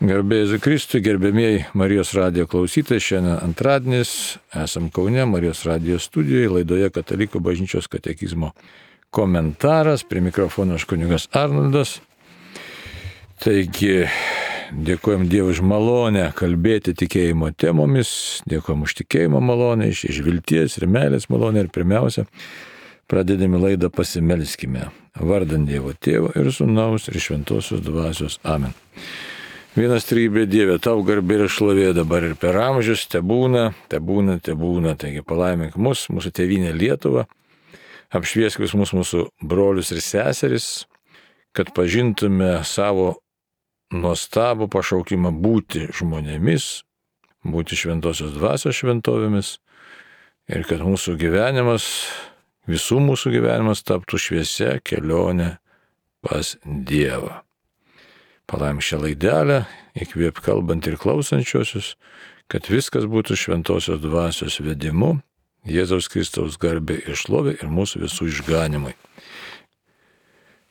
Garbė Jėzui Kristui, gerbėmieji Marijos radijo klausytojai, šiandien antradienis, esam Kaune, Marijos radijo studijoje, laidoje Katalikų bažnyčios katekizmo komentaras, prie mikrofono aš kunigas Arnoldas. Taigi, dėkojom Dievui už malonę kalbėti tikėjimo temomis, dėkojom už tikėjimo malonę, iš vilties ir meilės malonę ir pirmiausia, pradedami laidą pasimelskime, vardant Dievo Tėvo ir Sūnaus ir Šventosios Dvasios. Amen. Vienas trybė Dieve, tau garbė ir šlovė dabar ir per amžius, tebūna. Taigi palaimink mus, mūsų tėvynę Lietuvą, apšviesk vis mūsų brolius ir seseris, kad pažintume savo nuostabų pašaukimą būti žmonėmis, būti Šventosios Dvasios šventovėmis ir kad mūsų gyvenimas, visų mūsų gyvenimas taptų šviesia kelionė pas Dievą. Palaim šią laidelę, įkvėp kalbant ir klausančiosius, kad viskas būtų Šventosios Dvasios vedimu, Jėzaus Kristaus garbė ir šlovė ir mūsų visų išganimai.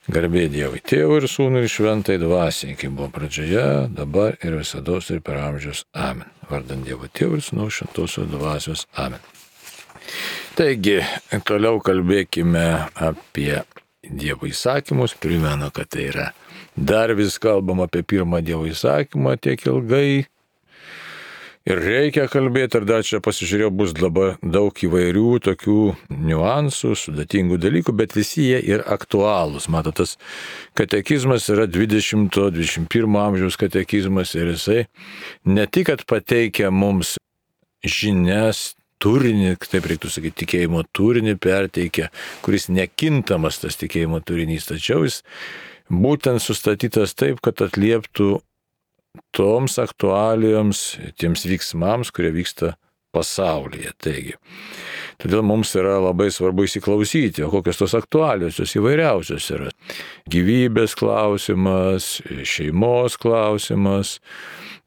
Garbė Dievui Tėvui ir Sūnui ir Šventai Dvasiai, kaip buvo pradžioje, dabar ir visados ir per amžius. Amen. Vardant Dievo Tėvui ir Sūnaus Šventosios Dvasios. Amen. Taigi, toliau kalbėkime apie Dievo įsakymus. Primenu, kad tai yra dar vis kalbam apie pirmą Dievo įsakymą tiek ilgai. Ir reikia kalbėti, ir dar čia pasižiūrėjau, bus labai daug įvairių tokių niuansų, sudėtingų dalykų, bet visi jie yra aktualūs. Matot, tas katekizmas yra 20-21 amžiaus katekizmas ir jisai ne tik, kad pateikia mums žinias, turinį, taip reiktų sakyti, tikėjimo turinį perteikia, kuris nekintamas tas tikėjimo turinys, tačiau jis būtent sustatytas taip, kad atlieptų toms aktualijoms, tiems veiksmams, kurie vyksta pasaulyje. Taigi, todėl mums yra labai svarbu įsiklausyti, o kokios tos aktualijos, jos įvairiausios yra. Gyvybės klausimas, šeimos klausimas,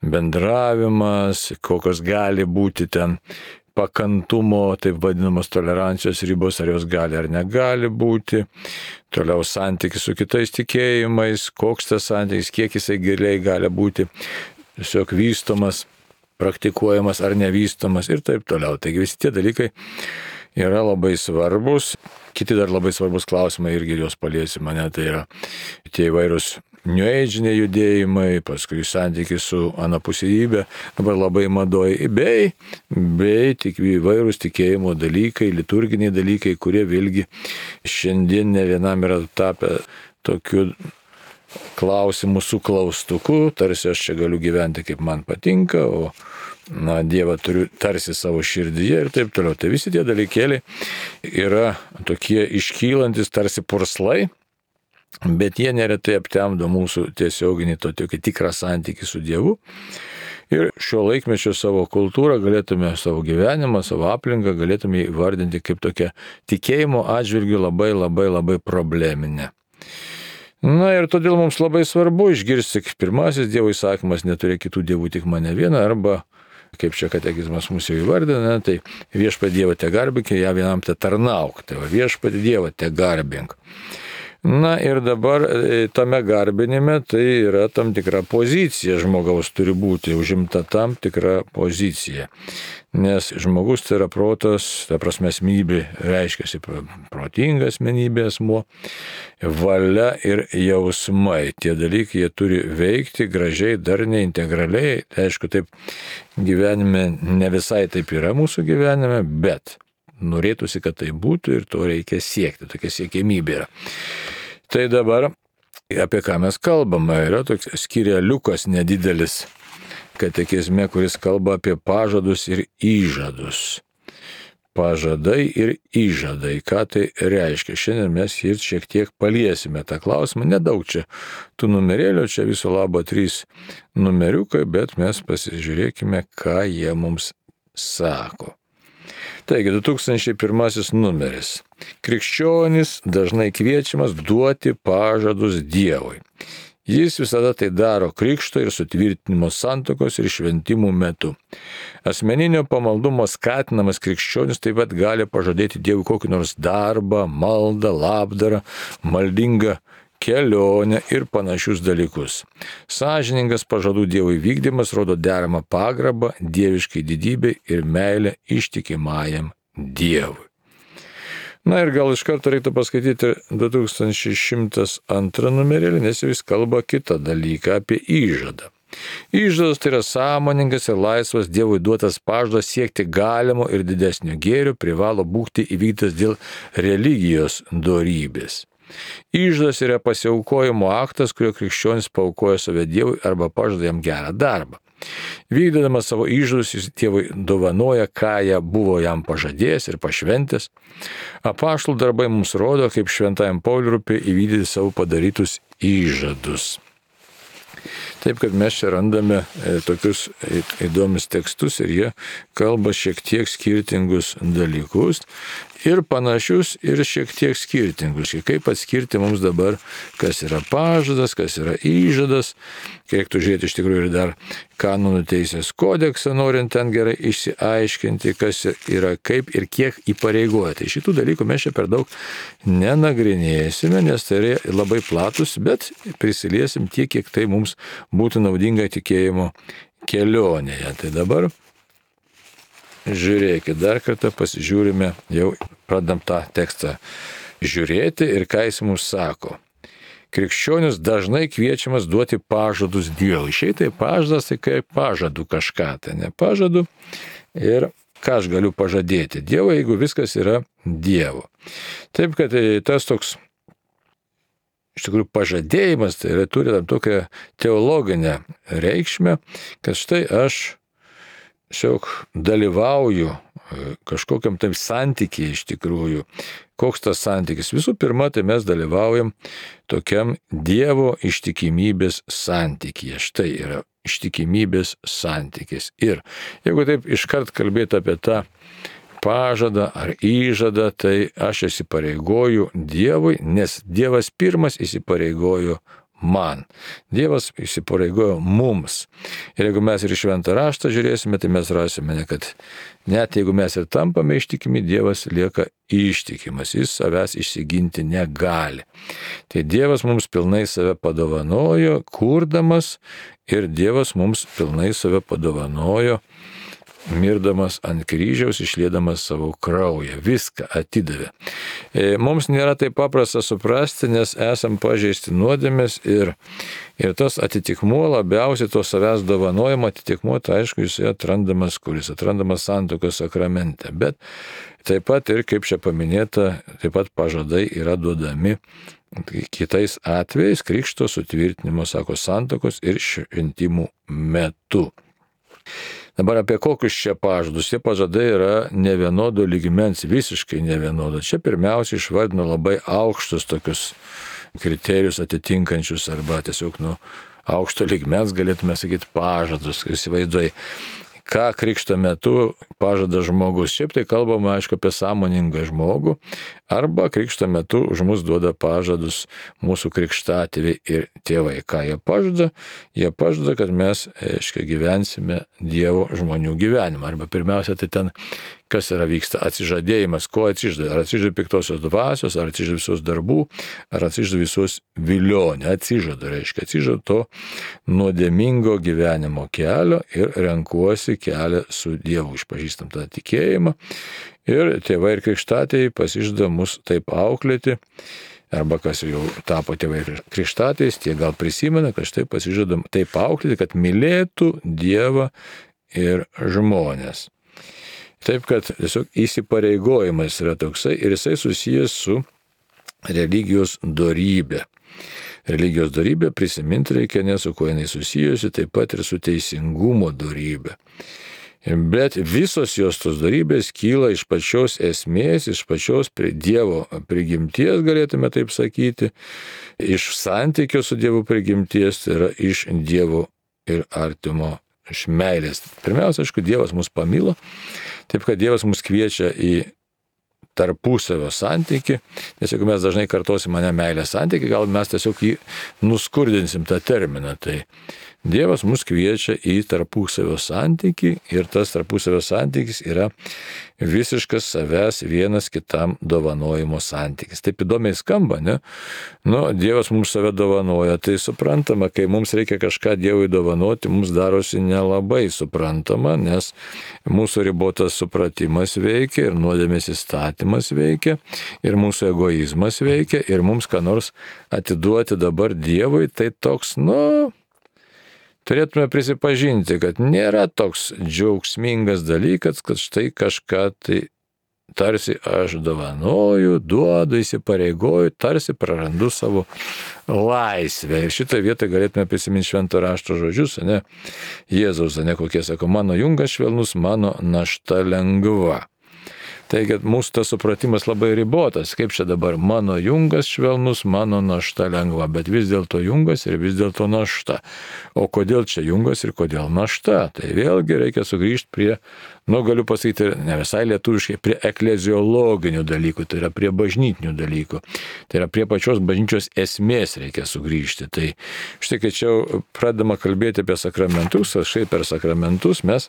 bendravimas, kokios gali būti ten pakantumo, taip vadinamos tolerancijos ribos, ar jos gali ar negali būti. Toliau santykis su kitais tikėjimais, koks tas santykis, kiek jisai giliai gali būti tiesiog vystomas, praktikuojamas ar nevystomas ir taip toliau. Taigi visi tie dalykai yra labai svarbus. Kiti dar labai svarbus klausimai irgi juos paliesime, tai yra tie įvairūs New Age-iniai judėjimai, paskui santykis su anapusybė, dabar labai madoji, bei tik įvairūs tikėjimo dalykai, liturginiai dalykai, kurie vėlgi šiandien ne vienam yra tapę tokiu klausimų su klaustuku, tarsi aš čia galiu gyventi kaip man patinka, o Dievą turiu tarsi savo širdyje ir taip toliau. Tai visi tie dalykėliai yra tokie iškylantis tarsi purslai, bet jie neretai aptemdo mūsų tiesioginį tokį tikrą santykį su Dievu. Ir šio laikmečio savo kultūrą galėtume, savo gyvenimą, savo aplinką galėtume įvardinti kaip tokią tikėjimo atžvilgių labai probleminę. Ir todėl mums labai svarbu išgirsti, pirmasis Dievo įsakymas neturėk kitų dievų, tik mane vieną, arba, kaip čia katekizmas mūsų jau įvardina, tai viešpatį Dievą te garbink, ją vienam te tarnauk, tai viešpatį Dievą te garbink. Ir dabar tame garbinime tai yra tam tikra pozicija, žmogaus turi būti užimta tam tikra pozicija. Nes žmogus tai yra protas, ta prasme asmenybė reiškiasi protinga asmenybė asmuo, valia ir jausmai. Tie dalykai jie turi veikti gražiai, darniai, integraliai. Tai aišku, taip gyvenime ne visai taip yra mūsų gyvenime, bet norėtųsi, kad tai būtų ir to reikia siekti, tokia siekiamybė yra. Tai dabar apie ką mes kalbame, yra toks skyreliukas nedidelis katekizme, kuris kalba apie pažadus ir įžadus. Pažadai ir įžadai, ką tai reiškia. Šiandien mes ir šiek tiek paliesime tą klausimą, nedaug čia tų numerėlių, čia viso labo 3 numeriukai, bet mes pasižiūrėkime, ką jie mums sako. Taigi, 2001 numeris. Krikščionis dažnai kviečiamas duoti pažadus Dievui. Jis visada tai daro krikšto ir sutvirtinimo santuokos ir šventimų metu. Asmeninio pamaldumo skatinamas krikščionis taip pat gali pažadėti Dievui kokį nors darbą, maldą, labdarą, maldingą kelionę ir panašius dalykus. Sąžiningas pažadų Dievui vykdymas rodo deramą pagarbą dieviškai didybei ir meilę ištikimajam Dievui. Na ir gal iš karto reiktų paskaityti 2102 numerėlį, nes jis kalba kitą dalyką apie įžadą. Įžadas tai yra sąmoningas ir laisvas Dievui duotas pažadas siekti galimo ir didesnio gėrio privalo būti įvykdytas dėl religijos dorybės. Įžadas yra pasiaukojimo aktas, kurio krikščionis paaukoja save Dievui arba pažada jam gerą darbą. Vykdydamas savo įžadus, jis Dievui dovanoja, ką jie buvo jam pažadėjęs ir pašventęs. Apaštalų darbai mums rodo, kaip šventajam Pauliui rūpi įvykdyti savo padarytus įžadus. Taip, kad mes čia randame tokius įdomius tekstus ir jie kalba šiek tiek skirtingus dalykus ir panašius ir šiek tiek skirtingus. Kaip atskirti mums dabar, kas yra pažadas, kas yra įžadas. Reiktų žiūrėti iš tikrųjų ir dar kanonų teisės kodeksą, norint ten gerai išsiaiškinti, kas yra kaip ir kiek įpareigoja. Tai šitų dalykų mes čia per daug nenagrinėsime, nes tai yra labai platus, bet prisiliesim tiek, kiek tai mums būtų naudinga tikėjimo kelionėje. Tai dabar žiūrėkit, dar kartą pasižiūrime, jau pradam tą tekstą žiūrėti ir ką jis mums sako. Krikščionis dažnai kviečiamas duoti pažadus Dievui. Šiaip tai pažadas, tai kaip pažadu kažką, tai ne pažadu. Ir ką aš galiu pažadėti Dievui, jeigu viskas yra Dievo. Taip, kad tas toks, iš tikrųjų, pažadėjimas, tai yra turi tam tokią teologinę reikšmę, kad štai aš tiesiog dalyvauju kažkokiam taip santykiai iš tikrųjų. Koks tas santykis? Visų pirma, tai mes dalyvaujam tokiam Dievo ištikimybės santykyje. Štai yra ištikimybės santykis. Ir jeigu taip iškart kalbėti apie tą pažadą ar įžadą, tai aš įsipareigoju Dievui, nes Dievas pirmas įsipareigojo man. Dievas įsipareigojo mums. Ir jeigu mes ir šventą raštą žiūrėsime, tai mes rasime, kad net jeigu mes ir tampame ištikimi, Dievas lieka ištikimas. Jis savęs išsiginti negali. Tai Dievas mums pilnai save padovanojo, kurdamas, ir Dievas mums pilnai save padovanojo, mirdamas ant kryžiaus, išliedamas savo kraują. Viską atidavė. Mums nėra taip paprasta suprasti, nes esam pažeisti nuodėmės ir tas atitikmuo, labiausiai to savęs dovanojimo atitikmuo, tai aišku, jis atrandamas, kuris atrandamas santuokos sakramente. Bet taip pat ir, kaip čia paminėta, taip pat pažadai yra duodami kitais atvejais, krikšto sutvirtinimo, sako, santuokos ir šventimų metu. Dabar apie kokius čia pažadus? Tie pažadai yra nevienodo lygmens, visiškai nevienodo. Čia pirmiausia išvardino labai aukštus tokius kriterijus atitinkančius arba tiesiog aukšto lygmens, galėtume sakyti, pažadus. Įsivaizduoji, ką krikšto metu pažada žmogus. Šiaip tai kalbama, aišku, apie sąmoningą žmogų, arba krikšto metu už mus duoda pažadus mūsų krikštatėviai ir tėvai. Ką jie pažada? Jie pažada, kad mes, gyvensime Dievo žmonių gyvenimą. Arba pirmiausia, tai ten, kas yra vyksta atsižadėjimas, ko atsižada. Ar atsižada piktosios dvasios, ar atsižada visos darbų, ar atsižada visos vilionė. Atsižada, reiškia, atsižada to nuodėmingo gyvenimo kelio ir renkuosi kelią su Dievu. Išpažįstam tą tikėjimą. Ir tėvai ir krikštatėjai pasižada mus taip auklėti, arba kas jau tapo tėvai ir krikštatėjais, tie gal prisimena, kad štai pasižadam taip auklėti, kad mylėtų Dievą ir žmonės. Taip, kad tiesiog įsipareigojimas yra toksai ir jisai susijęs su religijos dorybė. Religijos dorybė prisiminti reikia, nes su kuo jinai susijusi, taip pat ir su teisingumo dorybė. Bet visos jos tos dorybės kyla iš pačios esmės, iš pačios Dievo prigimties, galėtume taip sakyti, iš santykio su Dievo prigimties, tai yra iš Dievo ir artimo, iš meilės. Pirmiausia, aišku, Dievas mus pamilo, taip kad Dievas mus kviečia į tarpusavio santykį, nes jeigu mes dažnai kartosim mane meilės santykį, gal mes tiesiog jį nuskurdinsim tą terminą. Tai Dievas mus kviečia į tarpusavio santykį ir tas tarpusavio santykis yra visiškas savęs vienas kitam dovanojimo santykis. Taip įdomiai skamba, ne? Dievas mums save dovanoja, tai suprantama, kai mums reikia kažką Dievui dovanoti, mums darosi nelabai suprantama, nes mūsų ribotas supratimas veikia ir nuodėmės įstatymas veikia ir mūsų egoizmas veikia ir mums ką nors atiduoti dabar Dievui, tai toks, turėtume prisipažinti, kad nėra toks džiaugsmingas dalykas, kad štai kažką tai tarsi aš dovanoju, duodu, įsipareigoju, tarsi prarandu savo laisvę. Ir šitą vietą galėtume prisiminti švento rašto žodžius, ne? Jėzaus, ne kokie sako, mano jungas švelnus, mano našta lengva. Taigi mūsų tas supratimas labai ribotas, kaip čia dabar mano jungas švelnus, mano našta lengva, bet vis dėlto jungas ir vis dėlto našta. O kodėl čia jungas ir kodėl našta? Tai vėlgi reikia sugrįžti prie, galiu pasakyti, ne visai lietuviškai, prie ekleziologinių dalykų, tai yra prie bažnytinių dalykų. Tai yra prie pačios bažnyčios esmės reikia sugrįžti. Tai štai, kai čia pradama kalbėti apie sakramentus, štai per sakramentus mes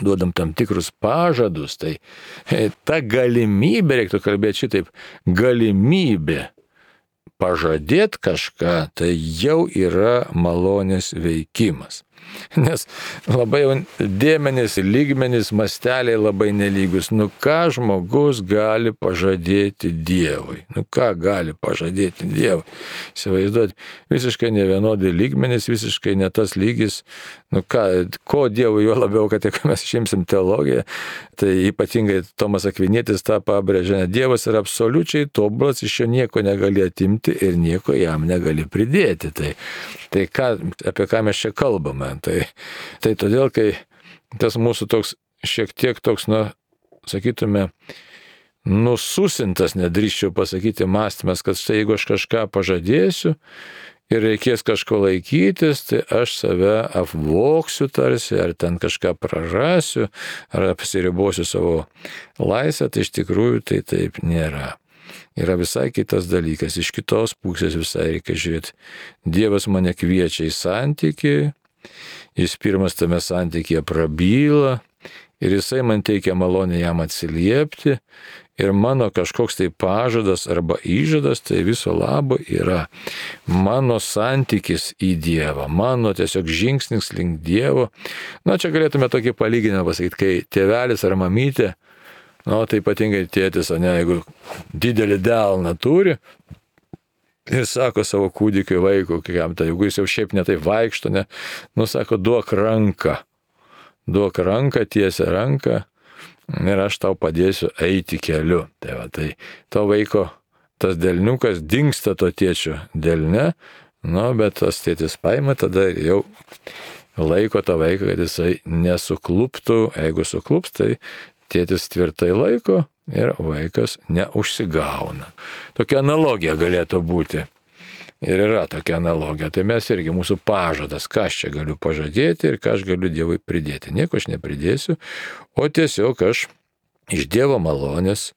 duodam tam tikrus pažadus, tai ta galimybė, reiktų kalbėti šitaip, galimybė pažadėti kažką, tai jau yra malonės veikimas. Nes labai dėmenys, lygmenys, masteliai labai nelygus. Ką žmogus gali pažadėti Dievui? Ką gali pažadėti Dievui? Įsivaizduoti, visiškai nevienodi lygmenys, visiškai ne tas lygis. Ko Dievui, jo labiau, kad jeigu mes išimsim teologiją, tai ypatingai Tomas Akvinietis tą pabrėžia, Dievas yra absoliučiai tobulas, iš jo nieko negali atimti ir nieko jam negali pridėti. Tai apie ką mes čia kalbame? Tai todėl, kai tas mūsų toks šiek tiek toks, sakytume, nususintas, nedrįsčiau pasakyti, mąstymas, kad štai jeigu aš kažką pažadėsiu ir reikės kažko laikytis, tai aš save apvoksiu tarsi, ar ten kažką prarasiu, ar apsiribosiu savo laisvę, tai iš tikrųjų tai taip nėra. Yra visai kitas dalykas, iš kitos pusės visai reikia žiūrėti. Dievas mane kviečia į santykį, jis pirmas tame santykyje prabyla ir jisai man teikia malonę jam atsiliepti ir mano kažkoks tai pažadas arba įžadas tai viso labo yra mano santykis į Dievą, mano tiesiog žingsnis link Dievo. Čia galėtume tokį palyginimą pasakyti, kai tėvelis ar mamytė, tai ypatingai tėtis, jeigu didelį delną turi, ir sako savo kūdikiui vaikui, jeigu jis jau šiaip netai vaikšto, sako, duok ranką, tiesia ranką ir aš tau padėsiu eiti keliu. Tai to vaiko tas delniukas dingsta to tėčio delne, bet tas tėtis paima tada jau laiko tą vaiką, kad jisai nesukluptų, jeigu suklups, tai tėtis tvirtai laiko ir vaikas neužsigauna. Tokia analogija galėtų būti. Ir yra tokia analogija. Tai mes irgi, mūsų pažadas, ką aš čia galiu pažadėti ir ką aš galiu Dievui pridėti. Nieko aš nepridėsiu, o tiesiog aš iš Dievo malonės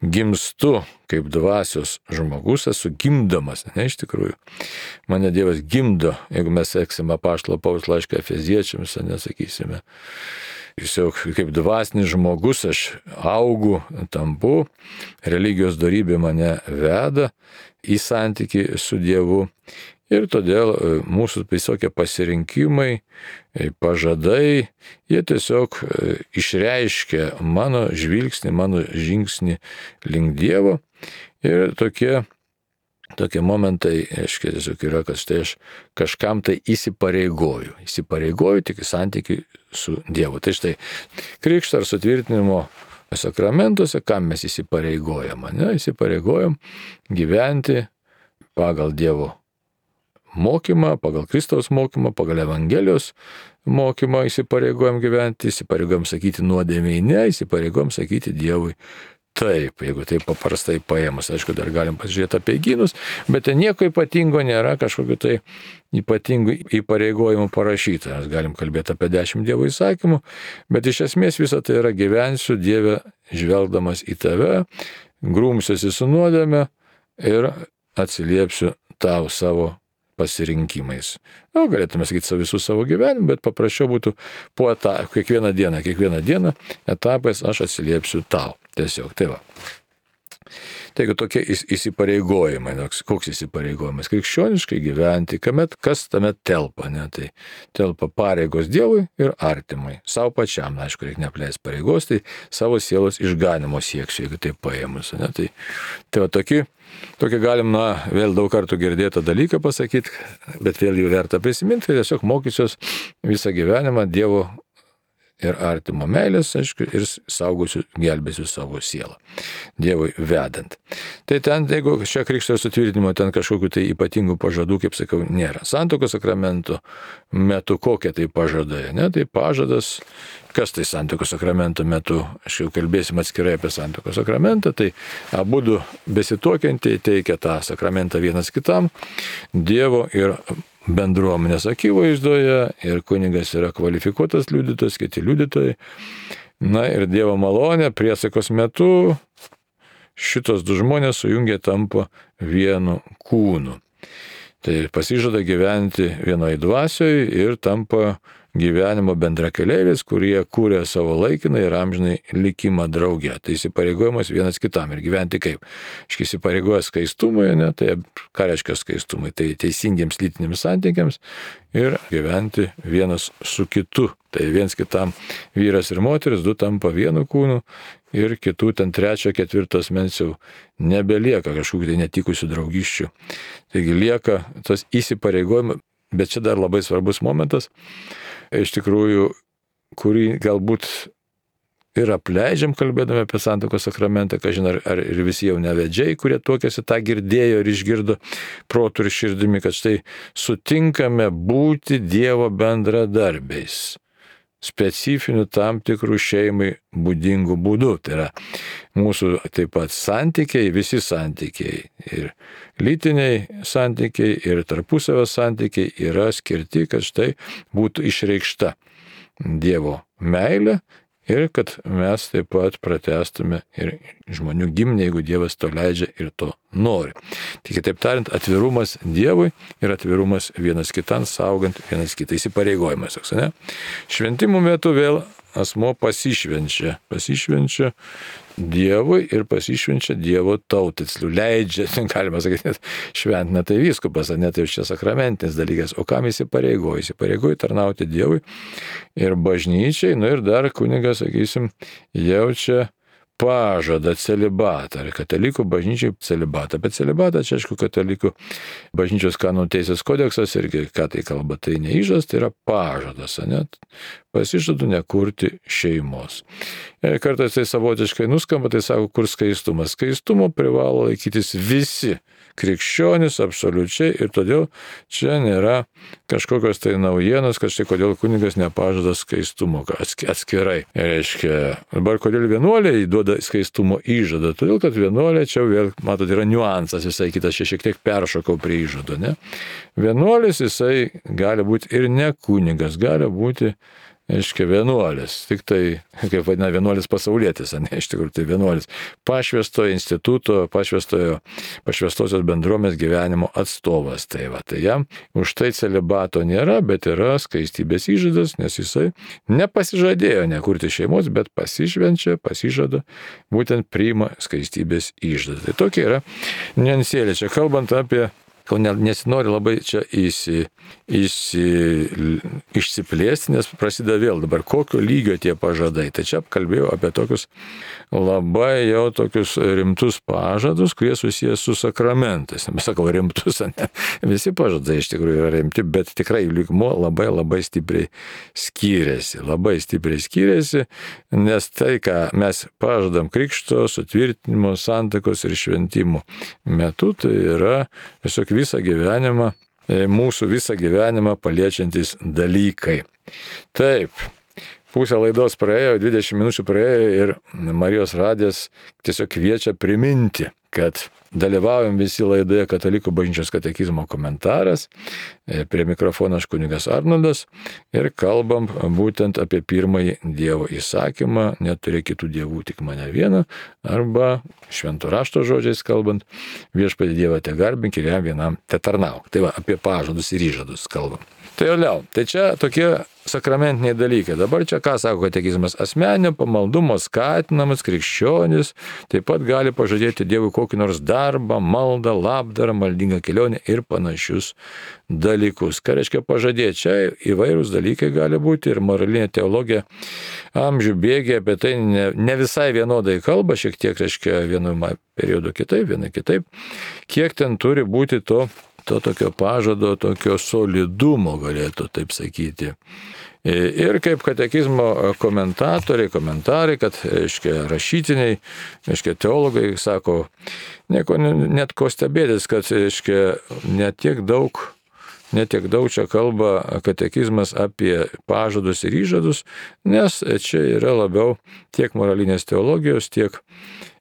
gimstu kaip dvasios žmogus, esu gimdamas, iš tikrųjų. Mane Dievas gimdo, jeigu mes seksime apaštalo Pauliaus laišką Efeziečiams, nesakysime. Tiesiog kaip dvasinis žmogus aš augu, tampu, religijos dorybė mane veda į santykį su Dievu ir todėl mūsų visokie pasirinkimai, pažadai, jie tiesiog išreiškia mano žvilgsnį, mano žingsnį link Dievo ir tokie momentai, aiškiai, tiesiog yra, kad štai aš kažkam tai įsipareigoju tik į santykį su Dievu. Tai štai, krikšto ar sutvirtinimo sakramentuose, kam mes įsipareigojam? Įsipareigojam gyventi pagal Dievo mokymą, pagal Kristaus mokymą, pagal Evangelijos mokymą įsipareigojam gyventi, įsipareigojam sakyti nuodėmei ne, įsipareigojam sakyti Dievui taip, jeigu taip paprastai paėmus. Aišku, dar galim pasižiūrėti apie gynus, bet ten nieko ypatingo nėra, kažkokiu tai ypatingų įpareigojimų parašyta. Mes galim kalbėti apie 10 Dievo įsakymų, bet iš esmės visą tai yra gyvensiu Dieve žvelgdamas į tave, grūmsiuosi su nuodėme ir atsiliepsiu tau savo pasirinkimais. Galėtume sakyti visų savo gyvenimą, bet paprasčiau būtų kiekvieną dieną etapais aš atsiliepsiu tau. Tiesiog, tai va. Taigi tokie įsipareigojimai, koks įsipareigojimas? Krikščioniškai gyventi, kas tame telpa, ne? Tai telpa pareigos Dievui ir artimui. Savo pačiam, aišku, reikia neapleisti pareigos, tai savo sielos išganimo sieksiu, jeigu tai paėmus. Ne? Tai va tokį galim, vėl daug kartų girdėtą dalyką pasakyti, bet vėl jų verta prisiminti, tai tiesiog mokysiuos visą gyvenimą Dievo ir artimo meilės, aišku, ir saugosiu, gelbėsiu savo sielą, Dievui vedant. Tai ten, jeigu šio krikšto sutvirtinimo ten kažkokių tai ypatingų pažadų, kaip sakau, nėra. Santuokos sakramento metu kokie tai pažadai, ne? Tai pažadas, kas tai santuokos sakramento metu, aš jau kalbėsim atskirai apie santuokos sakramentą, tai abudu besituokiantieji teikia tą sakramentą vienas kitam, Dievo ir bendruomenės akivaizdoje, ir kunigas yra kvalifikuotas liudytojas, kiti liudytojai. Ir Dievo malonė priesaikos metu šitos du žmonės sujungia tampa vienu kūnu. Tai pasižada gyventi vienoje dvasioje ir tampa gyvenimo bendrakeleiviais, kurie kūrė savo laikiną ir amžinai likimą drauge. Tai įsipareigojimas vienas kitam ir gyventi kaip? Įsipareigoja skaistumui, ne? Tai ką reiškia skaistumui? Tai teisingiems lytiniams santykiams ir gyventi vienas su kitu. Tai viens kitam vyras ir moteris, du tampa vienu kūnu ir kitų ten 3, 4 asmens jau nebelieka kažkokių tai netikusių draugysčių. Taigi lieka tas įsipareigojimas, bet čia dar labai svarbus momentas, iš tikrųjų, kurį galbūt ir apleidžiam kalbėdami apie santuokos sakramentą, kažin ar ir visi jau nevedžiai, kurie tuokėsi, tą girdėjo ir išgirdo protu ir širdimi, kad štai sutinkame būti Dievo bendradarbiais, specifinių tam tikrų šeimai būdingų būdų. Tai yra mūsų taip pat santykiai, visi santykiai, ir lytiniai santykiai, ir tarpusavio santykiai yra skirti, kad štai būtų išreikšta Dievo meilė ir kad mes taip pat pratęstume ir žmonių giminę, jeigu Dievas to leidžia ir to nori. Tik kitaip tariant, atvirumas Dievui ir atvirumas vienas kitam, saugant vienas kitą, įsipareigojimas. Ne? Šventimų metu vėl asmo pasišvenčia Dievui ir pasišvenčia Dievo tautai. Leidžia, galima sakyti, net šventina tai vyskupas, ne tai čia sakramentinis dalykas. O kam įsipareigoja? Įsipareigoja tarnauti Dievui ir bažnyčiai, ir dar kunigas, sakysim, jaučia pažadą celibatą, ar katalikų bažnyčiai celibatą. Bet celibatą čia, aišku, katalikų bažnyčios kanonų teisės kodeksas irgi, ką tai kalba, tai neįžas, tai yra pažadas, net pasižadu nekurti šeimos. Ir kartais tai savotiškai nuskamba, tai sako, kur skaistumas. Skaistumo privalo laikytis visi krikščionys absoliučiai ir todėl čia nėra kažkokios tai naujienos, kad štai kodėl kunigas nepažada skaistumo atskirai. Reiškia, dabar kodėl vienuoliai duoda skaistumo įžadą, todėl kad vienuoliai čia vėl, matot, yra niuansas visai kitas, čia šiek tiek peršokau prie įžado, ne? Vienuolis jisai gali būti ir ne kunigas, gali būti aiškiai vienuolis, tik tai, kaip vadina, vienuolis pasaulietis, ne, iš tikrųjų tai vienuolis pašvęstojo instituto, pašvęstosios bendruomenės gyvenimo atstovas. Tai jam už tai celibato nėra, bet yra skaistybės įžadas, nes jisai nepasižadėjo nekurti šeimos, bet pasižada, būtent priima skaistybės įžadas. Tai tokia yra niuansėlė. Čia kalbant apie, nesinori labai čia išsiplėsti, nes prasideda vėl dabar, kokio lygio tie pažadai. Tai čia kalbėjau apie tokius labai jau tokius rimtus pažadus, kurie susijęs su sakramentais. Nesakau rimtus, ne? Visi pažadai iš tikrųjų yra rimti, bet tikrai lygmuo labai stipriai skiriasi. Labai stipriai skiriasi, nes tai, ką mes pažadam krikšto, sutvirtinimo, santuokos ir šventimo metu, tai yra tiesiog mūsų visą gyvenimą paliečiantys dalykai. Taip, pusę laidos praėjo, 20 minučių praėjo ir Marijos radijas tiesiog kviečia priminti, kad dalyvaujam visi laidoje Katalikų bažnyčios katekizmo komentaras. Prie mikrofono aš kunigas Arnoldas ir kalbam būtent apie pirmąjį Dievo įsakymą, neturėk kitų dievų, tik mane vieną, arba švento rašto žodžiais kalbant, viešpatį Dievą te garbink ir jam vienam te tarnauk. Tai va, apie pažadus ir įžadus kalbam. Tai jau, tai čia tokie sakramentiniai dalykai. Dabar čia ką sako katekizmas? Asmeninio pamaldumo skatinamas krikščionis taip pat gali pažadėti Dievui kokį nors darbą, maldą, labdarą, maldingą kelionę ir panašius dalykus. Ką reiškia pažadėti? Čia įvairūs dalykai gali būti ir moralinė teologija amžių bėgiai apie tai ne visai vienodai kalba, šiek tiek reiškia vienu periodu kitaip, vienai kitaip. Kiek ten turi būti to tokio pažado, tokio solidumo, galėtų taip sakyti. Ir kaip katekizmo komentarai, kad, reiškia, rašytiniai, reiškia, teologai sako, net ko stebėtis, kad, reiškia, netiek daug čia kalba katekizmas apie pažadus ir įžadus, nes čia yra labiau tiek moralinės teologijos, tiek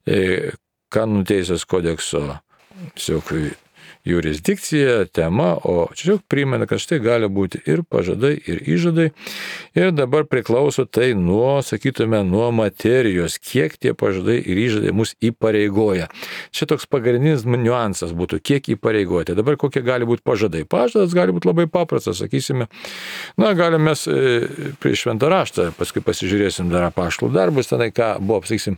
kanonų teisės kodekso tiesiog jurisdikcija, tema, o čia primena, kad štai gali būti ir pažadai, ir įžadai. Ir dabar priklauso tai nuo, sakytume, nuo materijos, kiek tie pažadai ir įžadai mus įpareigoja. Čia toks pagrindinis niuansas būtų, kiek įpareigoja. Tai dabar kokie gali būti pažadai. Pažadas gali būti labai paprastas, sakysime. Galime mes prieš šventą raštą, paskui pasižiūrėsim dar apaštalų darbus, tenai ką buvo, sakysim,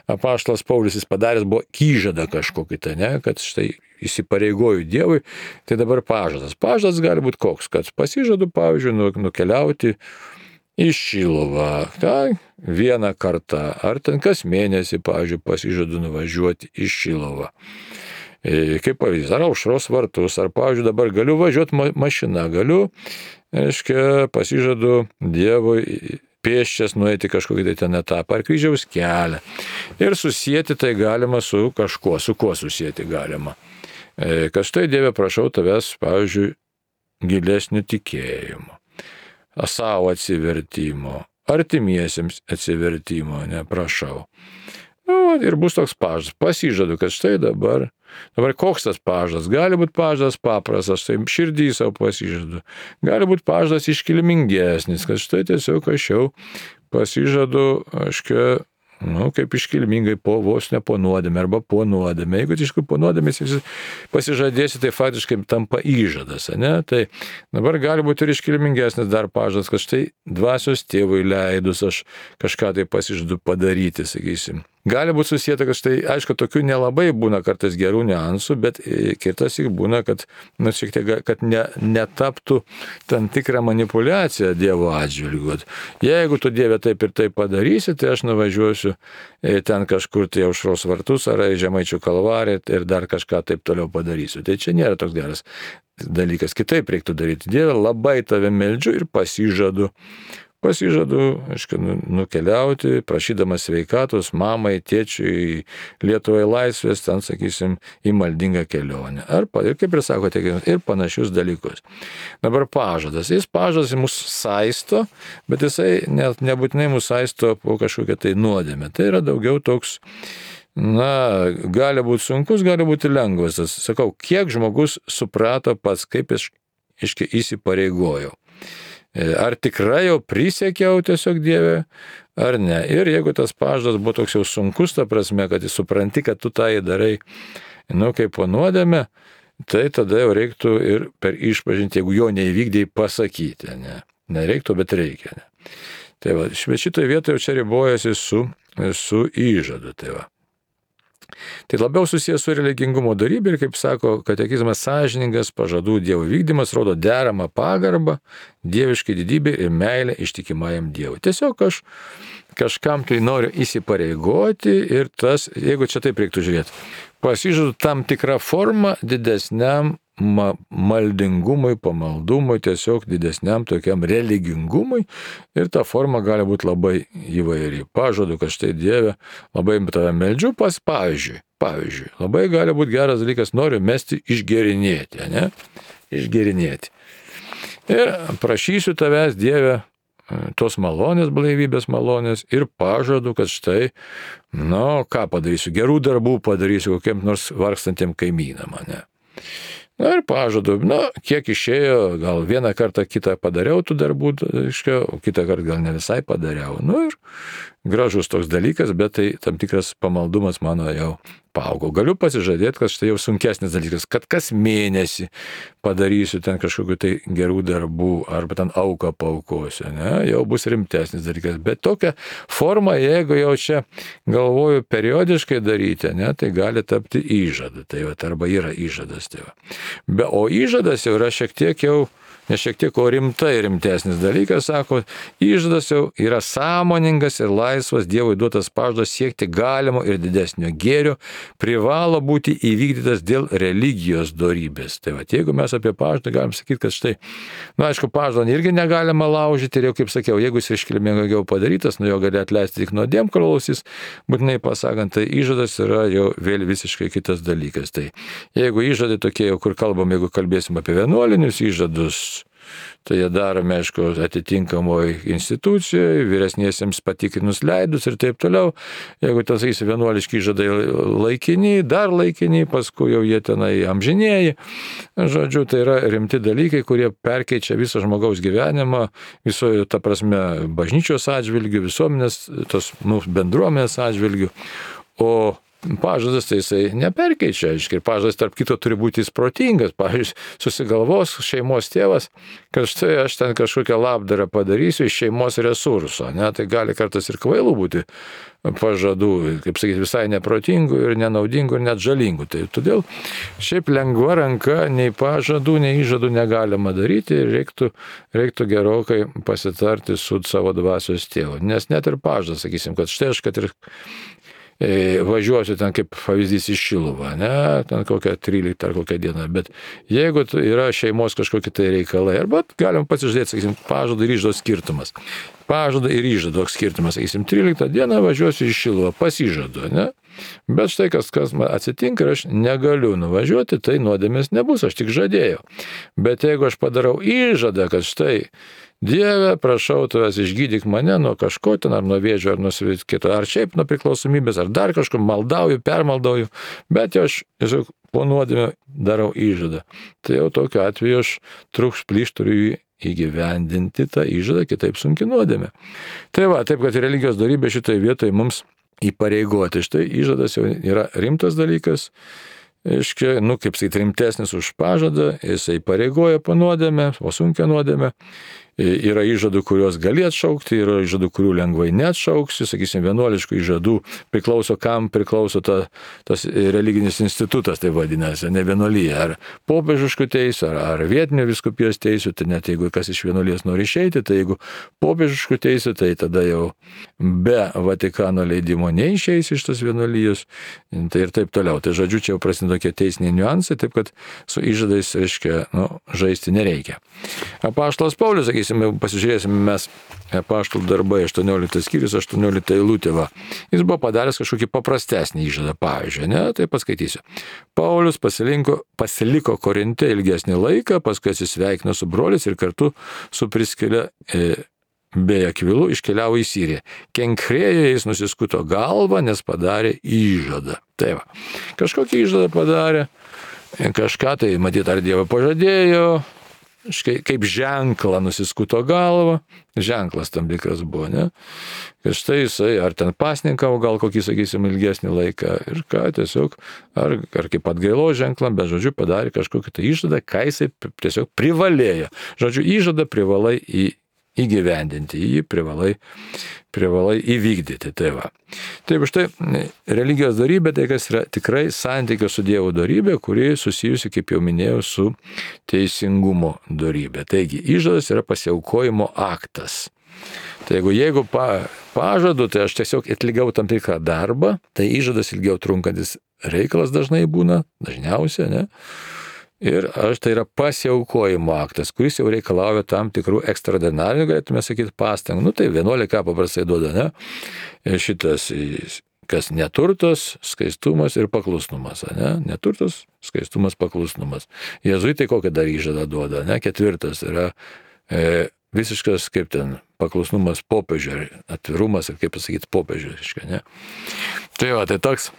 apaštalas Paulius jis padaręs buvo įžadą kažkokį, tai ne, kad štai įsipareigoju Dievui, tai dabar pažadas. Pažadas gali būti koks, kad pasižadu, pavyzdžiui, nukeliauti į Šiluvą, vieną kartą, ar ten kas mėnesį, pavyzdžiui, pasižadu nuvažiuoti į Šiluvą. Kaip pavyzdys, ar Aušros vartus, ar, pavyzdžiui, dabar galiu važiuoti mašina, galiu, reiškia, pasižadu Dievui pėsčias nueiti kažkokį tai ten etapą, ar kryžiaus kelią. Ir susijęti tai galima su kažkuo, su kuo susijęti galima. Kad štai Dieve prašau tavęs, pavyzdžiui, gilesnio tikėjimo, savo atsivertimo, artimiesiems atsivertimo, neprašau. Ir bus toks pažadas, pasižadu, kad štai dabar koks tas pažadas, gali būti pažadas paprastas, tai širdį savo pasižadu, gali būti pažadas iškilmingesnis, kad štai tiesiog aš jau pasižadu, kaip iškilmingai vos ne po nuodėmę arba po nuodėmę. Jeigu iš tikrųjų po nuodėmės pasižadėsi, tai faktiškai tampa įžadas, ne? Tai dabar gali būti ir iškilmingesnis dar pažadas, kad štai dvasios tėvui leidus aš kažką tai pasižadu padaryti, sakysim. Gali būti susijęta, kad štai, aišku, tokių nelabai būna kartais gerų niuansų, bet kitas ir būna, kad, šiek tiek, kad netaptų tam tikrą manipulaciją Dievo atžvilgiu. Jeigu tu Dieve taip ir taip padarysi, tai aš nuvažiuosiu ten kažkur tai Aušros vartus ar Žemaičių kalvariją ir dar kažką taip toliau padarysiu. Tai čia nėra toks geras dalykas. Kitaip reiktų daryti. Dieve, labai tave meldžiu ir pasižadu, aišku, nukeliauti, prašydamas sveikatos mamai, tėčiui, Lietuvai laisvės, ten, sakysim, į maldingą kelionę. Ir kaip ir sakote, ir panašius dalykus. Dabar pažadas. Pažadas mus saisto, bet jisai nebūtinai mus saisto po kažkokią tai nuodėmę. Tai yra daugiau toks, gali būti sunkus, gali būti lengvas. Sakau, kiek žmogus suprato pats, kaip įsipareigojau. Ar tikrai jau prisiekiau tiesiog Dieve, ar ne. Ir jeigu tas pažadas buvo toks jau sunkus, ta prasme, kad jis supranti, kad tu tai darai, kaip po nuodėmę, tai tada jau reiktų ir per išpažintį, jeigu jo neįvykdėjai, pasakyti. Nereiktų, bet reikia. Ne. Tai va, šitoje vietoje čia ribojasi su įžadu. Tai labiau susijęs su religingumo darybė ir, kaip sako katekizmas, sąžiningas pažadų Dievo vykdymas rodo deramą pagarbą, dieviškai didybė ir meilę ištikimajam Dievui. Tiesiog aš kažkam tai noriu įsipareigoti ir tas, jeigu čia taip reiktų žiūrėti, pasižadu tam tikrą formą didesniam maldingumui, pamaldumui, tiesiog didesniam tokiam religingumui ir ta forma gali būti labai įvairi. Pažadu, kad štai Dieve, labai tave meldžiu, pavyzdžiui, labai gali būti geras dalykas, noriu mesti išgerinėti, ne? Išgerinėti. Ir prašysiu tavęs, Dieve, tos malonės, blaivybės malonės ir pažadu, kad štai, ką padarysiu, gerų darbų padarysiu kokiem nors vargstantiem kaimynam, ne. Ir pažadu, kiek išėjo, gal vieną kartą kitą padariau tų darbų, o kitą kartą gal ne visai padariau. Ir gražus toks dalykas, bet tai tam tikras pamaldumas mano jau paaugo. Galiu pasižadėti, kad štai jau sunkesnis dalykas, kad kas mėnesį padarysiu ten kažkokiu tai gerų darbų arba ten auką paukosiu, ne, jau bus rimtesnis dalykas. Bet tokia forma, jeigu jau čia galvoju periodiškai daryti, ne, tai gali tapti įžadu. Tai arba yra įžadas. Tai o įžadas jau yra šiek tiek jau, ne šiek tiek, o rimtesnis dalykas, sako, įžadas jau yra sąmoningas ir laisvas Dievui duotas pažadas siekti galimo ir didesnio gėrio, privalo būti įvykdytas dėl religijos dorybės. Tai jeigu mes apie pažadą galim sakyti, kad štai, aišku, pažadą irgi negalima laužyti ir jau, kaip sakiau, jeigu jis iškilmingiau padarytas, jo gali atleisti tik nuodėmklausys, būtinai pasakant, tai įžadas yra jau vėl visiškai kitas dalykas. Tai jeigu įžadai tokie, kur kalbam, jeigu kalbėsim apie vienuolinius įžadus, tai jie daromi, aišku, atitinkamoje institucijoje, vyresniesiems patikrinus leidus ir taip toliau. Jeigu ten, sakysi, vienuoliški įžadai laikini, dar laikini, paskui jau jie tenai amžinėji. Žodžiu, tai yra rimti dalykai, kurie perkeičia visą žmogaus gyvenimą, visoje, ta prasme, bažnyčios atžvilgių, visuomenės, tos bendruomenės atžvilgių. O pažadas tai jisai neperkeičia, ir pažadas tarp kito turi būti protingas. Pavyzdžiui, susigalvos šeimos tėvas, kad štai aš ten kažkokią labdarą padarysiu iš šeimos resurso, ne, tai gali kartais ir kvailų būti pažadų, kaip sakyti, visai neprotingų ir nenaudingų ir net žalingų. Tai todėl šiaip lengva ranka nei pažadų, nei įžadų negalima daryti ir reiktų gerokai pasitarti su savo dvasios tėvu. Nes net ir pažadas, sakysim, kad štai aš, kad ir važiuosiu ten kaip pavyzdys į Šiluvą, ne, ten kokią 13 ar kokią dieną, bet jeigu yra šeimos kažkokie tai reikalai, arba galim pasižiūrėti, sakysim, pažado ir įžado skirtumas. Pažado ir įžado skirtumas, sakysim, 13 dieną važiuosiu į Šiluvą, pasižadu, ne, bet štai kas man atsitinka ir aš negaliu nuvažiuoti, tai nuodėmės nebus, aš tik žadėjau. Bet jeigu aš padarau įžadą, kad štai Dieve, prašau tavęs išgydyk mane nuo kažko ten, ar nuo vėžio, ar nuo kito, ar šiaip nuo priklausomybės, ar dar kažko, maldauju, permaldauju, bet jau aš tiesiog po nuodėmę darau įžadą. Tai jau tokiu atveju aš trukšplyš turiu įgyvendinti tą įžadą, kitaip sunki nuodėmė. Tai taip, kad religijos dorybė šitoje vietoje mums įpareigoti. Štai įžadas jau yra rimtas dalykas, kaip sakyti, rimtesnis už pažadą, jisai pareigoja po nuodėmę, o sunkia nuodėmė. Yra įžadų, kuriuos gali atšaukti, yra įžadų, kurių lengvai neatšauksi, sakysim, vienuoliškų įžadų priklauso, kam priklauso tas religinis institutas, tai vadinasi, ne vienuolija, ar popiežiškų teisų, ar vietinio vyskupijos teisų, tai net jeigu kas iš vienuolijos nori išeiti, tai jeigu popiežiškų teisų, tai tada jau be Vatikano leidimo neišeis iš tos vienuolijos, tai ir taip toliau. Tai žodžiu, čia jau prasideda tokie teisiniai niuansai, taip kad su įžadais, reiškia, žaisti nereikia. Apaštalas Paulius, sakysim, pasižiūrėsime mes Apaštalų darbai 18 skyrius, 18 eilutė. Jis buvo padaręs kažkokį paprastesnį įžadą, pavyzdžiui, ne, tai paskaitysiu. Paulius pasiliko Korinte ilgesnį laiką, paskui atsisveikino su broliais ir kartu su Priskile bei Akvilu iškeliavo į Siriją. Kenkrėjoje jis nusiskuto galvą, nes padarė įžadą. Tai va, kažkokį įžadą padarė, kažką tai, matyt, ar Dievą pažadėjo, kaip ženklą nusiskuto galvą, ženklas tam tikras buvo, ne? Ir štai jisai, ar ten pasninkavo gal kokį, sakysim, ilgesnį laiką, ir ką tiesiog, ar kaip atgailos ženklą, bet, žodžiu, padarė kažkokį tai įžadą, ką jisai tiesiog privalėjo. Žodžiu, įžadą privalai įgyvendinti, jį privalai įvykdyti. Tai va. Taip, štai religijos dorybė, tai kas yra tikrai santykio su Dievo dorybė, kuri susijusi, kaip jau minėjau, su teisingumo dorybė. Taigi, įžadas yra pasiaukojimo aktas. Tai jeigu pažadu, tai aš tiesiog atlikau tam tikrą darbą, tai įžadas ilgiau trunkantis reikalas dažnai būna, dažniausiai, ne? Ir tai yra pasiaukojimo aktas, kuris jau reikalauja tam tikrų ekstraordinarinių, galėtume sakyti, pastangų. Tai 11 paprastai duoda, ne? Šitas, kas neturtas, skaistumas ir paklusnumas, ne? Neturtas, skaistumas, paklusnumas. Jėzuitai kokią dar įžadą duoda, ne? 4 yra visiškas, kaip ten, paklusnumas popiežiui, atvirumas, ir kaip pasakyti, popiežiui, ne? Tai va, tai toks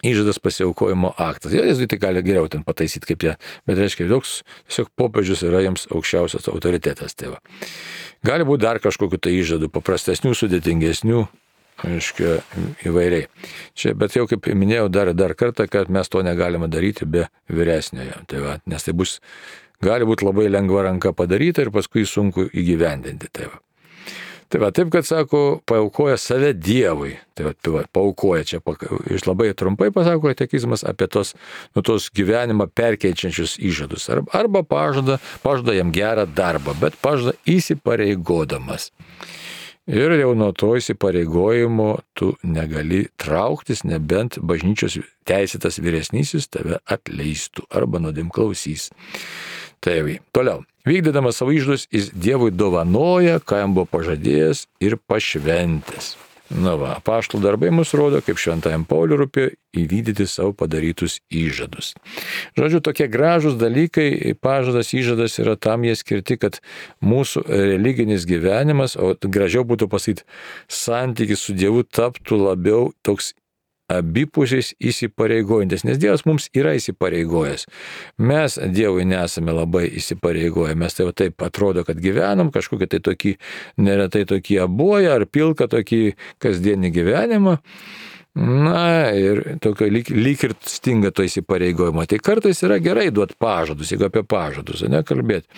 įžadas pasiaukojimo aktas. Jėzuitai gali geriau ten pataisyti kaip jie, bet reiškia, toks tiesiog popiežius yra jiems aukščiausias autoritetas. Tai va. Gali būti dar kažkokiu tai įžadų, paprastesnių, sudėtingesnių, reiškia, įvairiai. Čia, bet jau kaip minėjau dar kartą, kad mes to negalime daryti be vyresniojo. Tai va, nes tai gali būti labai lengva ranka padaryta ir paskui sunku įgyvendinti. Tai va. Tai va, taip, kad sako, paaukoja save Dievui. Tai va, paaukoja čia, iš labai trumpai pasako katekizmas apie tos gyvenimą perkeičiančius įžadus. Arba pažada jam gerą darbą, bet pažada įsipareigodamas. Ir jau nuo to įsipareigojimo tu negali trauktis, nebent bažnyčios teisėtas vyresnysis tave atleistų arba nuodėmklausys. Tai toliau. Vykdydamas savo įžadus, jis Dievui dovanoja, ką jam buvo pažadėjęs ir pašventęs. Na va, apaštalų darbai mus rodo, kaip šventajam Pauliui rūpėjo įvykdyti savo padarytus įžadus. Žodžiu, tokie gražūs dalykai, pažadas, įžadas yra tam jie skirti, kad mūsų religinis gyvenimas, o gražiau būtų pasakyti, santykis su Dievu taptų labiau toks abipusiais įsipareigojantis, nes Dievas mums yra įsipareigojęs. Mes Dievui nesame labai įsipareigoję, mes taip atrodo, kad gyvenam kažkokie tai tokį, neretai tokį abuoją ar pilką tokį kasdienį gyvenimą. Na ir tokio lyg ir stinga to įsipareigojimo. Tai kartais yra gerai duoti pažadus, jeigu apie pažadus, nekalbėti.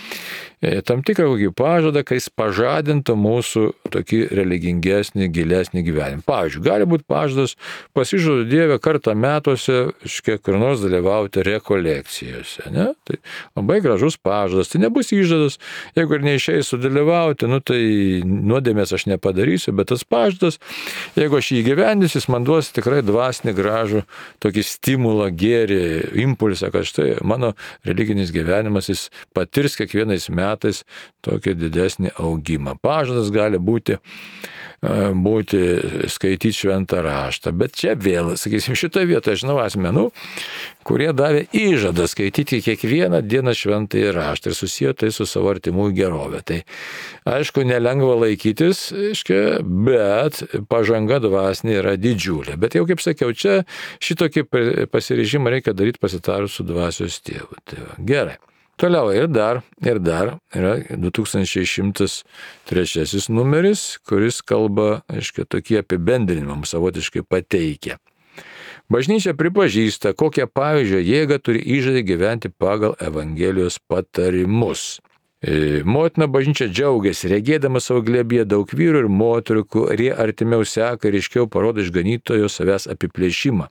Tam tikrą kokį pažadą, kai jis pažadintų mūsų tokį religingesnį, gilesnį gyvenimą. Pavyzdžiui, gali būti pažadas, pasižadu Dievę kartą metuose, kur nors dalyvauti rekolekcijose. Ne? Tai labai gražus pažadas, tai nebus įžadas, jeigu ir neišeis sudalyvauti, tai nuodėmės aš nepadarysiu, bet tas pažadas, jeigu aš jį įgyvendinsiu, jis man duos tikrai dvasinį gražų tokį stimulą, gėrį, impulsą, kad štai mano religinis gyvenimas jis patirs kiekvienais metais tokį didesnį augimą. Pažadas gali būti skaityti šventą raštą, bet čia vėl, sakysim, šitoje vietoje žinau asmenų, kurie davė įžadą skaityti kiekvieną dieną šventąjį raštą ir susiję tai su savo artimųjų gerovė. Tai aišku, nelengva laikytis, bet pažanga dvasinė yra didžiulė. Bet jau kaip sakiau, čia šitokį pasiryžimą reikia daryti pasitarus su dvasios tėvu. Tai va, gerai. Toliau ir dar yra 2103 numeris, kuris kalba, tokį apibendrinimą savotiškai pateikia. Bažnyčia pripažįsta, kokią pavyzdžio jėgą turi įžadai gyventi pagal Evangelijos patarimus. Motina bažnyčia džiaugiasi, regėdama savo glėbyje daug vyrų ir moterų, kurie artimiau seka ir aiškiau parodo išganytojo savęs apiplėšimą.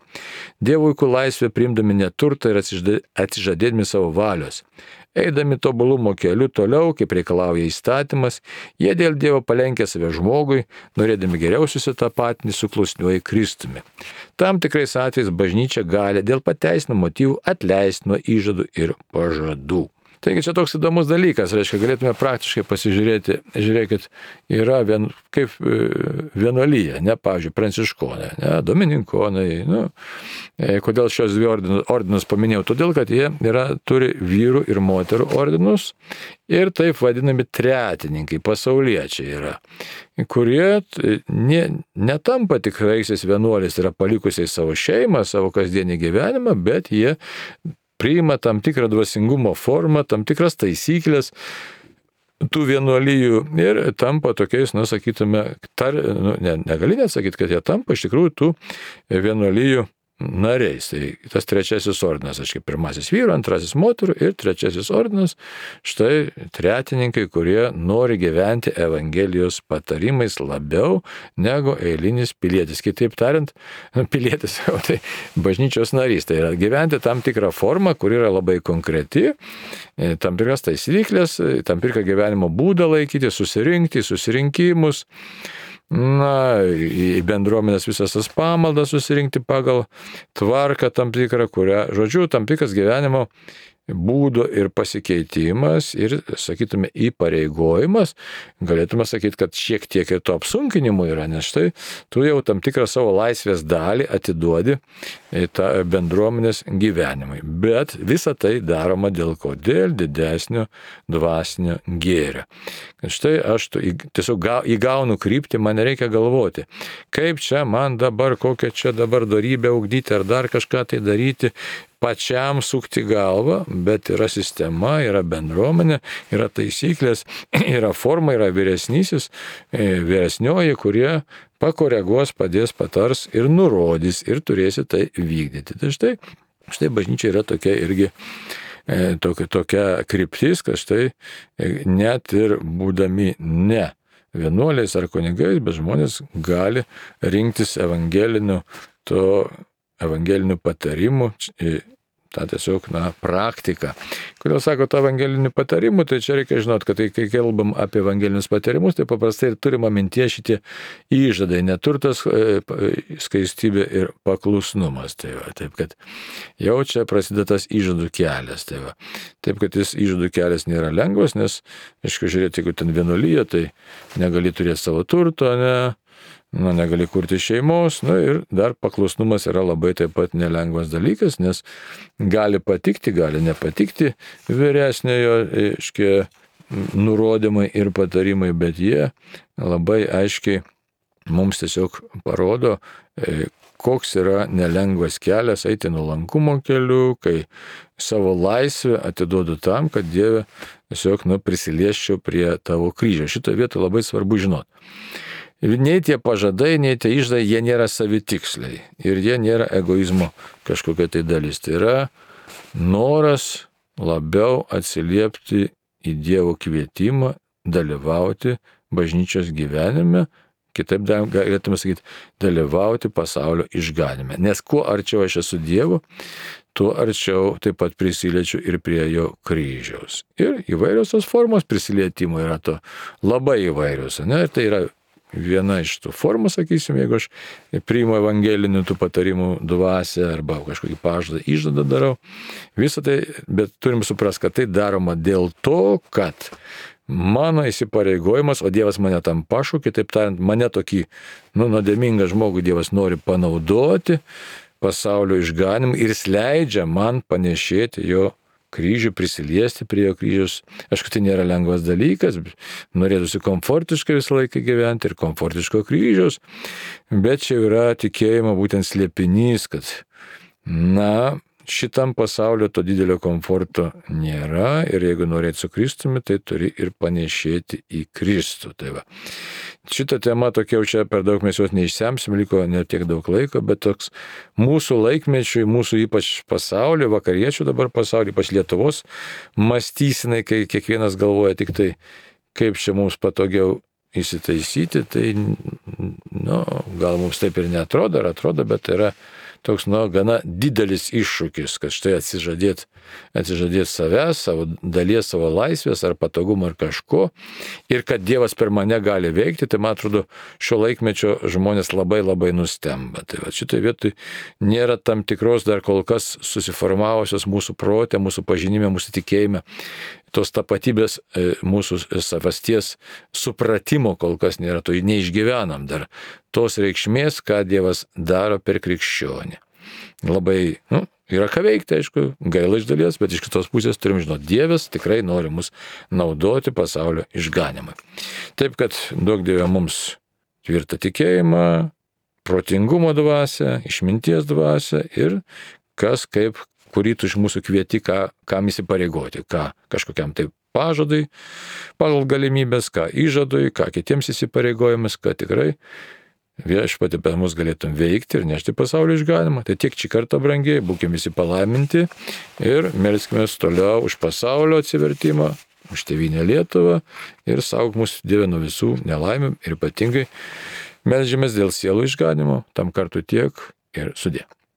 Dievo vaikų laisvę priimdami neturtą ir atsižadėdami savo valios. Eidami tobulumo keliu toliau, kaip reikalauja įstatymas, jie dėl Dievo palenkia save žmogui, norėdami geriau susitapatinti su klusniuoju Kristumi. Tam tikrais atvejais bažnyčia gali dėl pateisinamų motyvų atleisti nuo įžadų ir pažadų. Taigi čia toks įdomus dalykas, reiškia, galėtume praktiškai pasižiūrėti, žiūrėkit, yra kaip vienuolyje, pavyzdžiui, pranciškonai, domininkonai, kodėl šios dvi ordinus paminėjau, todėl, kad jie turi vyrų ir moterų ordinus ir taip vadinami tretininkai, pasauliečiai yra, kurie netampa tikraisiais vienuoliais, yra palikusiais savo šeimą, savo kasdienį gyvenimą, bet jie priima tam tikrą dvasingumo formą, tam tikras taisyklės tų vienuolijų ir tampa tokiais, sakytume, negali net sakyti, kad jie tampa iš tikrųjų tų vienuolijų nariais. Tai tas trečiasis ordinas, pirmasis vyrų, antrasis moterų ir trečiasis ordinas, štai tretininkai, kurie nori gyventi Evangelijos patarimais labiau negu eilinis pilietis. Kitaip tariant, pilietis, tai bažnyčios narys. Tai yra gyventi tam tikrą formą, kur yra labai konkreti, tam tikras taisyklės, tam tikrą gyvenimo būdą laikyti, susirinkti, susirinkimus, į bendruomenės visas tas pamaldas susirinkti pagal tvarką tam tikrą, kurią, žodžiu, tam tikras gyvenimo būdo ir pasikeitimas ir, sakytume, įpareigojimas, galėtume sakyti, kad šiek tiek ir to apsunkinimo yra, nes štai tu jau tam tikrą savo laisvės dalį atiduodi tą bendruomenės gyvenimui. Bet visa tai daroma dėl ko? Dėl didesnio dvasinio gėrio. Štai aš tiesiog įgaunu kryptį, man nereikia galvoti, kaip čia man dabar, kokią čia dabar dorybę ugdyti ar dar kažką tai daryti, pačiam sukti galvą, bet yra sistema, yra bendruomenė, yra taisyklės, yra forma, yra vyresnysis, vyresnioji, kurie pakoreguos, padės, patars ir nurodys ir turėsi tai vykdyti. Tai štai bažnyčia yra tokia irgi tokia kryptis, kad štai net ir būdami ne vienuoliais ar kunigais, bet žmonės gali rinktis evangelinių patarimų, tą tiesiog, praktiką. Kodėl sako tą evangelinių patarimų, tai čia reikia žinot, kad kai kalbam apie evangelinius patarimus, tai paprastai ir turima mintie šitie įžadai, neturtas, skaistybė ir paklusnumas. Tai va, taip, kad jau čia prasideda tas įžadų kelias. Taip, kad jis įžadų kelias nėra lengvas, nes, aišku, žiūrėti, jeigu ten vienuolyje, tai negali turėti savo turto, negali kurti šeimos, ir dar paklusnumas yra labai taip pat nelengvas dalykas, nes gali patikti, gali nepatikti vyresniojo, nurodymai ir patarimai, bet jie labai aiškiai mums tiesiog parodo, koks yra nelengvas kelias eiti nuolankumo keliu, kai savo laisvę atiduodu tam, kad Dieve tiesiog prisiliesčiau prie tavo kryžio. Šitoje vietoje labai svarbu žinoti. Nei tie pažadai, nei tie įžadai, jie nėra savitiksliai ir jie nėra egoizmo kažkokia tai dalis. Tai yra noras labiau atsiliepti į Dievo kvietimą, dalyvauti bažnyčios gyvenime, kitaip galėtume sakyti, dalyvauti pasaulio išganime. Nes kuo arčiau aš esu Dievo, tuo arčiau taip pat prisiliečiu ir prie jo kryžiaus. Ir įvairios tos formos prisilietimo yra to labai įvairios. Ir tai yra viena iš tų formų, sakysim, jeigu aš priimu evangelinių tų patarimų dvasią arba kažkokį pažadą, įžadą darau, visą tai, bet turim suprasti, kad tai daroma dėl to, kad mano įsipareigojimas, o Dievas mane tam pašaukė, taip tariant, mane tokį nuodėmingą žmogų Dievas nori panaudoti pasaulio išganimui ir jis leidžia man panešėti jo kryžių, prisiliesti prie jo kryžiaus. Aišku, tai nėra lengvas dalykas, norėtųsi komfortiškai visą laiką gyventi ir komfortiško kryžiaus, bet čia yra tikėjimo būtent slėpinys, kad, šitam pasaulio to didelio komforto nėra ir jeigu norėt su Kristumi, tai turi ir panešėti į Kristų. Tai va. Šitą temą tokia jau čia per daug mes jos neišsemsim, liko ne tiek daug laiko, bet toks mūsų laikmečiui, mūsų ypač pasaulio, vakariečių dabar pasaulio, ypač Lietuvos mąstysinai, kai kiekvienas galvoja tik tai, kaip čia mums patogiau įsitaisyti, tai, gal mums taip ir neatrodo, ar atrodo, bet tai yra toks, gana didelis iššūkis, kad štai atsižadėt savęs, savo dalies, savo laisvės ar patogumo ar kažko ir kad Dievas per mane gali veikti, tai man atrodo šio laikmečio žmonės labai labai nustemba. Tai va, šitoje vietoje nėra tam tikros dar kol kas susiformavusios mūsų prote, mūsų pažinime, mūsų tikėjime, tos tapatybės mūsų savasties supratimo kol kas nėra, to neišgyvenam dar tos reikšmės, ką Dievas daro per krikščionį. Labai, yra ką veikti, aišku, gaila iš dalies, bet iš kitos pusės turim žinoti, Dievas tikrai nori mus naudoti pasaulio išganimui. Taip, kad duok Dieve mums tvirtą tikėjimą, protingumo dvasią, išminties dvasią ir kas kaip kurį tu iš mūsų kvieti, kam įsipareigoti, ką kažkokiam tai pažadai, pagal galimybės, ką įžadui, ką kitiems įsipareigojimas, kad tikrai viešpatį per mus galėtum veikti ir nešti pasaulio išganimą. Tai tiek šį kartą, brangiai, būkime visi palaiminti ir melskime toliau už pasaulio atsivertimą, už tėvynę Lietuvą ir saugok mus Dieve nuo visų nelaimių ir ypatingai melžiamės dėl sielų išganimo, tam kartu tiek ir sudie.